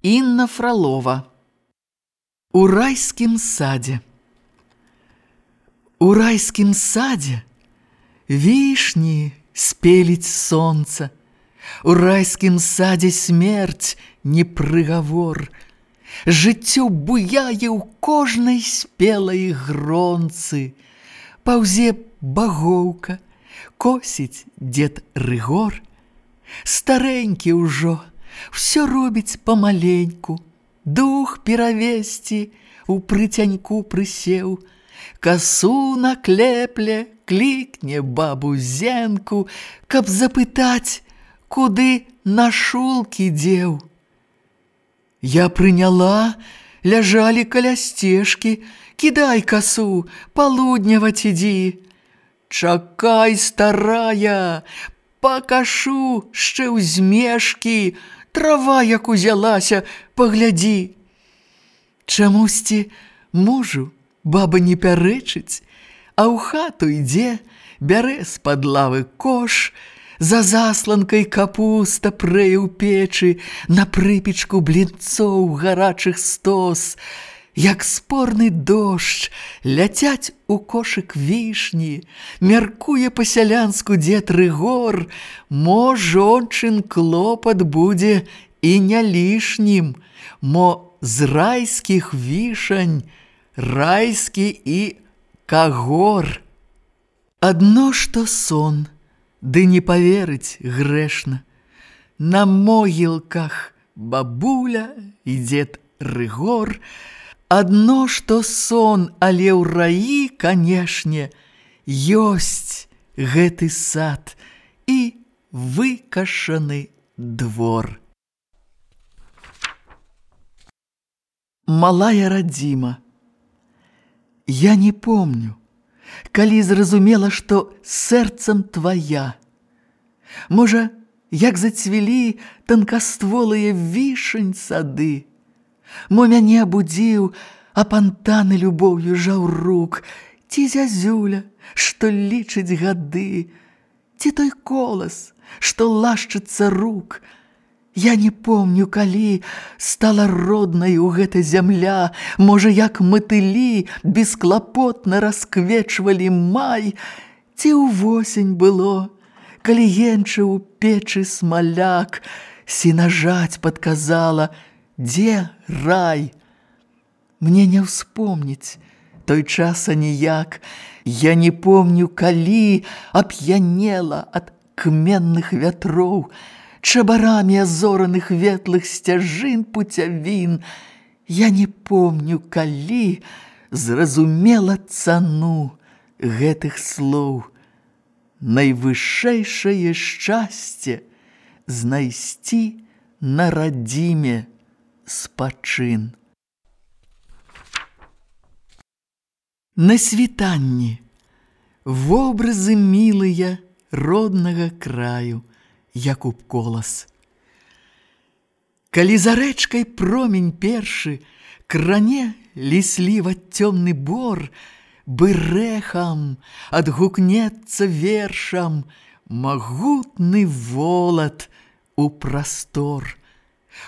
Инна Фролова. У райскім садзе. У райскім садзе вішні спеліць сонца. У райскім садзе смерць не прыгавор. Жыццё буяе ў кожнай спелай гронцы. Паўзе багоўка, косіць дзед Рыгор. Старэнькі ўжо, всё робіць памаленьку. Дух перавесці у прыцяньку прысеў. Касу на клепле клікне бабу Зенку, каб запытаць, куды на шулкі дзеў. Я прыняла, ляжалі каля сцежкі. Кідай касу, палудняваць ідзі. Чакай, старая, пакашу шчэ ў змешкі. Трава, як узялася, паглядзі. Чамусьці мужу баба не пярэчыць, а ў хату ідзе, бярэ з-пад лавы кош, за засланкай капуста прэе ў печы, на прыпечку блінцоў гарачых стос. Як спорны дождж, ляцяць у кошык вішні, мяркуе па-сялянску дзед Рыгор, мо жончын клопат будзе і не лішнім, мо з райскіх вішань райскі і кагор. Адно што сон, ды не паверыць грэшна. На могілках бабуля і дзед Рыгор. Адно што сон, але ў раі, канешне, ёсць гэты сад і выкашаны двор. Малая радзіма. Я не помню, калі зразумела, што сэрцам твая. Можа, як зацвілі танкастволыя вішань сады. Мо мяне абудзіў, апантаны любоўю жаўрук, ці зязюля, што лічыць гады, ці той колас, што лашчыцца рук. Я не помню, калі стала роднаю гэта зямля, можа, як матылі бесклапотна расквечвалі май, ці ўвосень было, калі енчыў у печы смаляк, сенажаць падказала, дзе рай? Мне не ўспомніць той час аніяк. Я не помню, калі ап'янела ад кменных вятроў, чабарамі азораных ветлых сцяжын пуцявін. Я не помню, калі зразумела цану гэтых слоў. Найвышэйшае шчасце знайсці на радзіме спачын. На світанні вобразы мілыя роднага краю, Якуб Колас. Калі за рэчкай промень першы кране лісліва цёмны бор, бырэхам адгукнецца вершам магутны волат у прастор.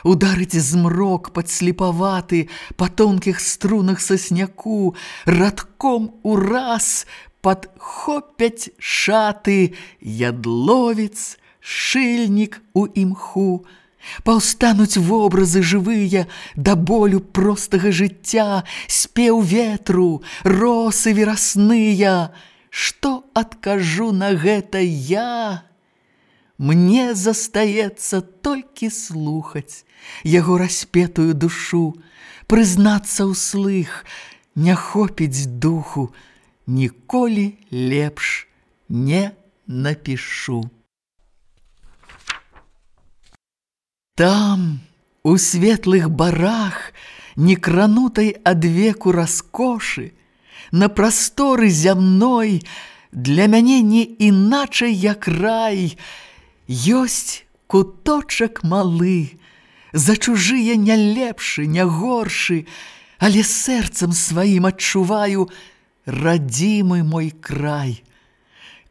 Ударыць змрок падслепаваты па тонкіх струнах сасняку, радком ураз падхопяць шаты ядловец, шыльнік у імху. Паўстануць вобразы жывыя да болю простага жыцця, спеў ветру, росы верасныя. Што адкажу на гэта я? Мне застаецца толькі слухаць яго распетую душу, прызнацца ўслых, не хопіць духу, ніколі лепш не напішу. Там, у светлых барах, некранутай ад веку раскошы, на прасторы зямной, для мяне не іначай, як рай, ёсць куточак малы, за чужыя не лепшы, не горшы, але сэрцам сваім адчуваю радзімы мой край.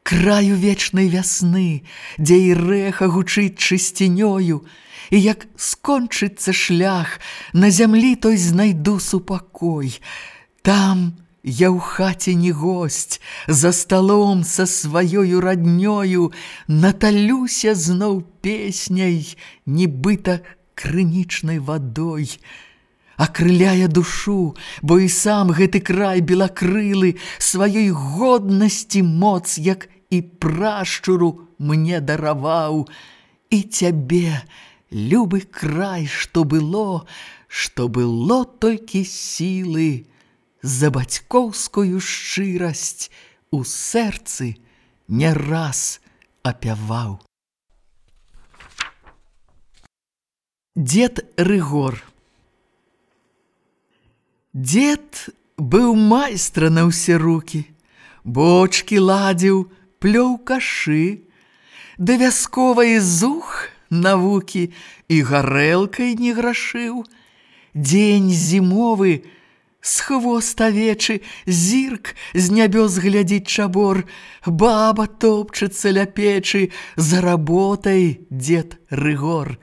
краю вечнай вясны, дзе і рэха гучыць чысцінёю, і як скончыцца шлях, на зямлі той знайду супакой. Там я ў хаце не госць, за сталом са сваёю раднёю наталюся зноў песняй, нібыта крынічнай вадой. Акрыляе душу, бо і сам гэты край белакрылы сваёй годнасці моц, як і прашчуру мне дараваў. І цябе, любы край, што было толькі сілы, за бацькоўскую шчырасць у сэрцы не раз апяваў. Дзед Рыгор. Дзед быў майстра на ўсе рукі, бочкі ладзіў, плёў кашы, да вясковай зух навукі і гарэлкай не грашыў. Дзень зімовы, з хвост авечы, зірк з нябёс глядзіць чабор, баба топчацца ля печы, за работай дзед Рыгор.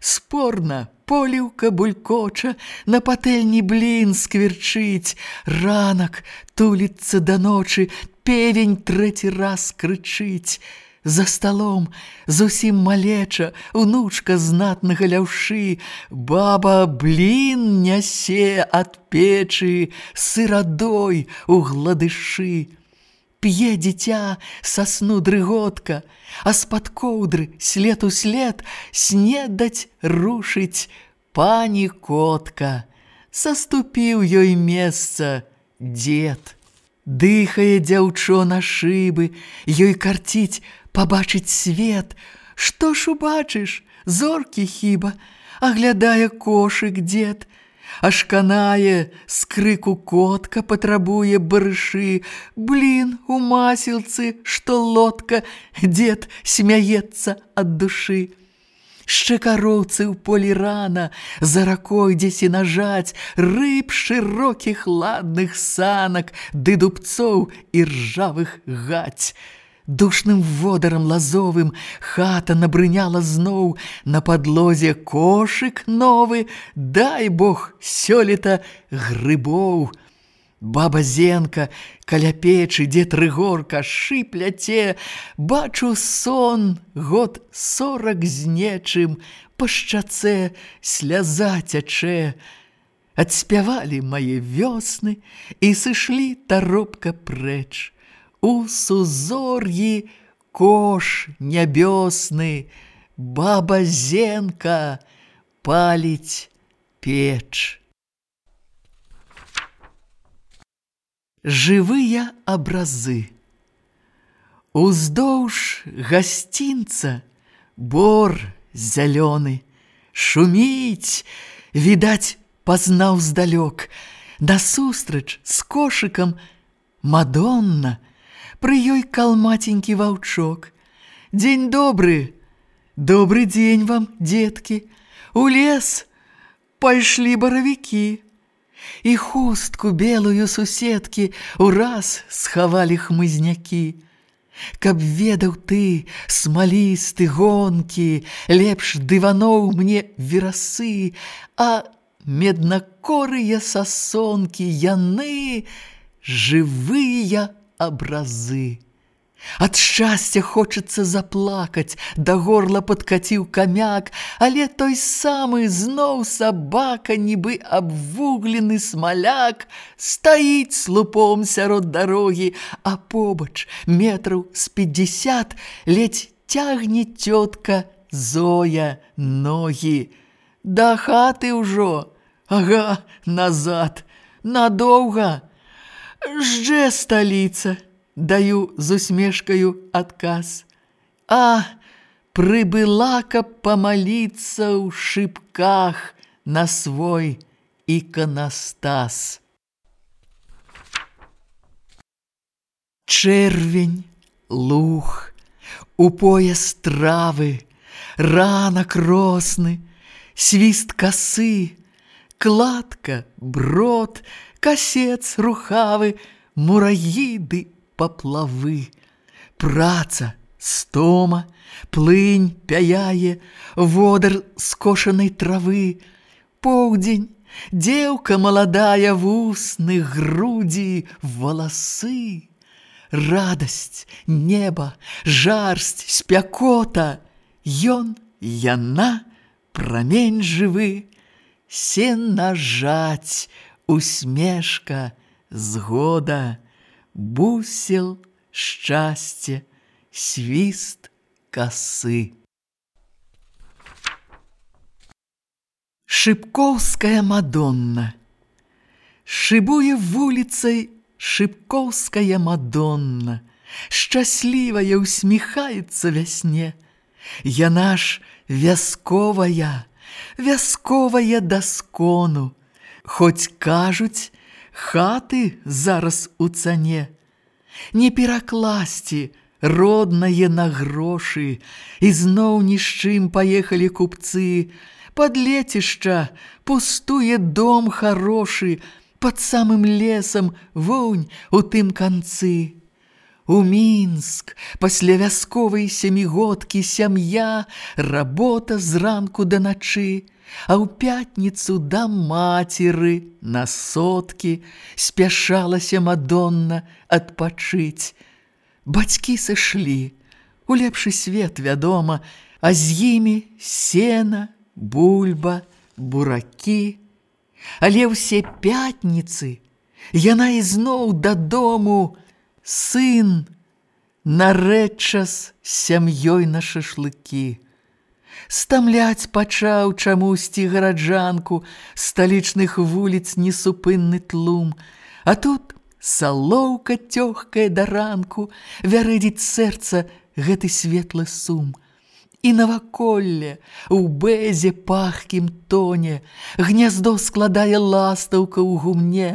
Спорна поліўка булькоча, на патэльні блін скверчыць, ранак туліцца да ночы, певень трэці раз крычыць. За сталом зусім малеча, унучка знатнага ляўшы, баба блін нясе ад печы, сырадой у гладышы. П'е дзіця са сну дрыготка, а з-пад коўдры след у след снедаць рушыць пані котка. Саступіў ёй месца дзед. Дыхае дзяўчо на шыбы, ёй карціць пабачыць свет. Што ж убачыш, зоркі хіба, аглядае кошык дзед. Аж канае, з крыку котка патрабуе барышы, блін у масілцы, што лодка, дзед смяецца ад душы. Шчакароўцы ў полі рана, за ракой дзесі нажаць, рыб шырокіх ладных санак, ды дубцоў і ржавых гаць. Душным водарам лазовым хата набрыняла зноў, на падлозе кошык новы, дай бог сёлета грыбоў. Баба Зенка каля печы, дзед Рыгор кашы пляце, бачу сон год 40 з нечым, па шчацэ сляза цячэ. Адспявалі мае вёсны і сышлі таропка прэч. У сузор'і кош нябёсны, баба Зенка паліць печ. Жывыя абразы. Уздоўж гасцінца бор зялёны, шуміць, відаць, пазнаў здалёк. Насустрач з кошыкам Мадонна, пры ёй калматенькі ваўчок. Дзень добры, добры дзень вам, дзеткі, у лес пайшлі баравікі. І хустку белую суседкі ураз схавалі хмызнякі. Каб ведаў ты, смалісты гонкі, лепш дываноў мне верасы, а меднакорыя сасонкі яны жывыя абразы. Ад шчасця хочацца заплакаць, да горла падкаціў камяк, але той самы зноў сабака, нібы абвуглены смаляк, стаіць слупом сярод дарогі, а побач метраў з 50 ледзь цягне цётка Зоя ногі. Да хаты ўжо, ага, назад, надоўга. Ждзе сталіца, даю з усмешкаю адказ. А, прыбыла, каб памаліцца ў шыбках на свой іканастас. Чэрвень, луг, у пояс травы, ранак росны, свіст касы, кладка, брод, касец рухавы, мураїди поплави. Праца, стома, плынь пяяе, водар скошанай травы, поўдзень, дзеўка маладая, вусны, грудзі, валасы, радасць, неба, жарсць, спякота, ён, яна, прамень жывы, сена жаць, усмешка, згода, бусел, шчасце, свіст касы. Шыбкоўская Мадонна. Шыбуе вуліцай шыбкоўская Мадонна, шчаслівая усміхаецца вясне. Яна ж вясковая, вясковая даскону, хоць кажуць, хаты зараз у цане. Не перакласці роднае на грошы, і зноў ні з чым паехалі купцы. Пад лецішча пустуе дом харошы, пад самым лесам вунь у тым канцы. У Мінск пасля вясковай сямігодкі сям'я, работа зранку да начы, а ў пятніцу да мацеры на соткі спяшалася Мадонна адпачыць. Бацькі сышлі, у лепшы свет, вядома, а з імі сена, бульба, буракі. Але ўсе пятніцы яна ізноў дадому, сын нарэдчас сям'ёй на шашлыкі. Стамляць пачаў чамусьці гараджанку сталічных вуліц несупынны тлум, а тут салоўка цёгкая да ранку, вярэдзіць сэрца гэты светлы сум. І наваколле ў бэзе пахкім тоне гняздо складае ластаўка ў гумне.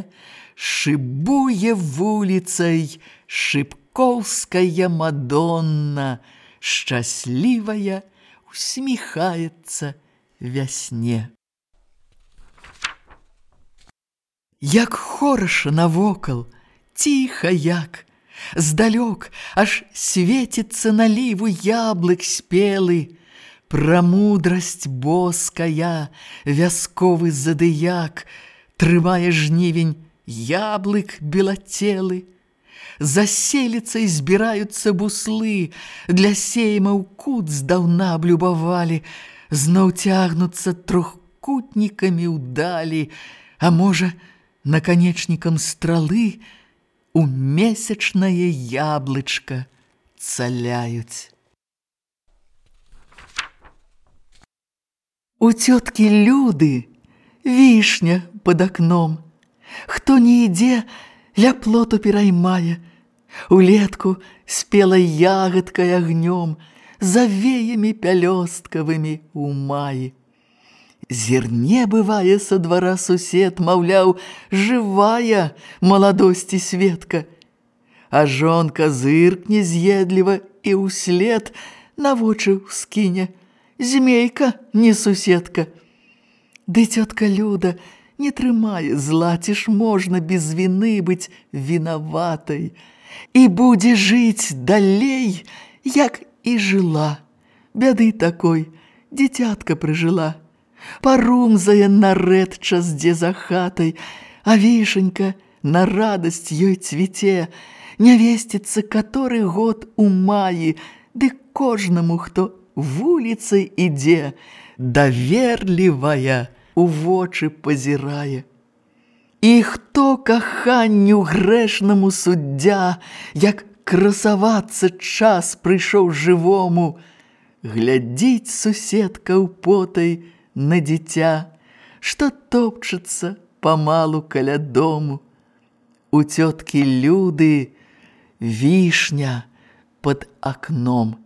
Шыбуе вуліцай шыбкоўская Мадонна, шчаслівая усміхаецца вясне. Як хораша навокал, ціха як, здалёк аж свеціцца наліву яблык спелы. Пра мудрасць боская вясковы задыяк трымае жнівень яблык белацелы. За селіцай збіраюцца буслы, для сейма ў кут здаўна аблюбавалі, зноў цягнуцца трохкутнікамі ўдалі, а можа, наканечнікам стралы у месячнае яблычка цаляюць. У цёткі Люды вішня пад акном. Хто не ідзе, ля плоту пераймае. Улетку спела ягадкай агнём, за веямі пялёсткавымі ў маі. Зірне бывае са двара сусед, маўляў, жывая маладосці Светка. А жонка зыркне з'едліва і ўслед на вочы ўскіне: змейка, не суседка. Ды цётка Люда не трымае зла, ці ж можна без віны быць вінаватай. І будзе жыць далей, як і жыла. Бяды такой дзіцятка прыжыла. Парумзае нарэдчас дзе за хатай, а вішенька на радасць ёй цвіце. Нявесціцца каторы год у маі, ды кожнаму, хто вуліцай ідзе, даверлівая у вочы пазірае. І хто каханню грэшнаму суддзя, як красавацца час прыйшоў жывому, глядзіць суседка ўпотай на дзіця, што топчацца памалу каля дому. У цёткі Люды вішня пад акном.